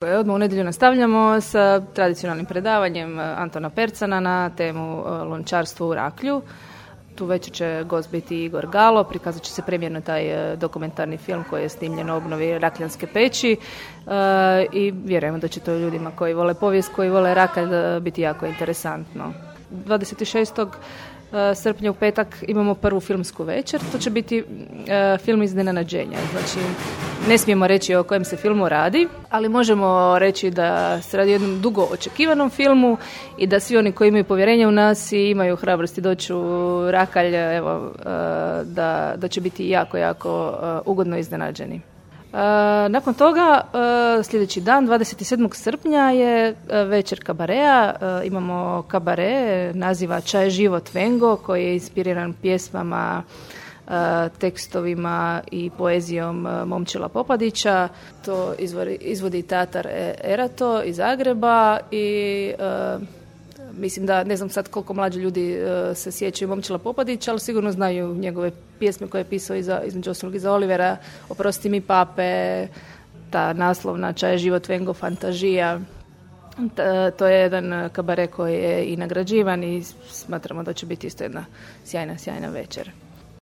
Odmah u nedjelju nastavljamo sa tradicionalnim predavanjem Antona Percana na temu lončarstvo u Raklju. Tu večer će gost biti Igor Galo, prikazat će se premijerno taj dokumentarni film koji je snimljen u obnovi Rakljanske peći i vjerujemo da će to ljudima koji vole povijest, koji vole Rakalj biti jako interesantno. 26. srpnja u petak imamo prvu filmsku večer, to će biti film iznenađenja. Znači, ne smijemo reći o kojem se filmu radi, ali možemo reći da se radi o jednom dugo očekivanom filmu i da svi oni koji imaju povjerenje u nas i imaju hrabrosti doći u Rakalj, evo, da će biti jako, jako ugodno iznenađeni. Nakon toga, sljedeći dan, 27. srpnja je večer kabarea. Imamo kabare, naziva Čaj život Vengo, koji je inspiriran pjesmama, tekstovima i poezijom Momčila Popadića. To izvodi teatar Erato iz Zagreba i mislim da, ne znam sad koliko mlađi ljudi se sjećaju Momčila Popadića, ali sigurno znaju njegove pjesme koje je pisao između ostalog iza Olivera, Oprosti mi pape, ta naslovna Čaj život Vengo, Fantažija. To je jedan kabare koji je i nagrađivan i smatramo da će biti isto jedna sjajna večer.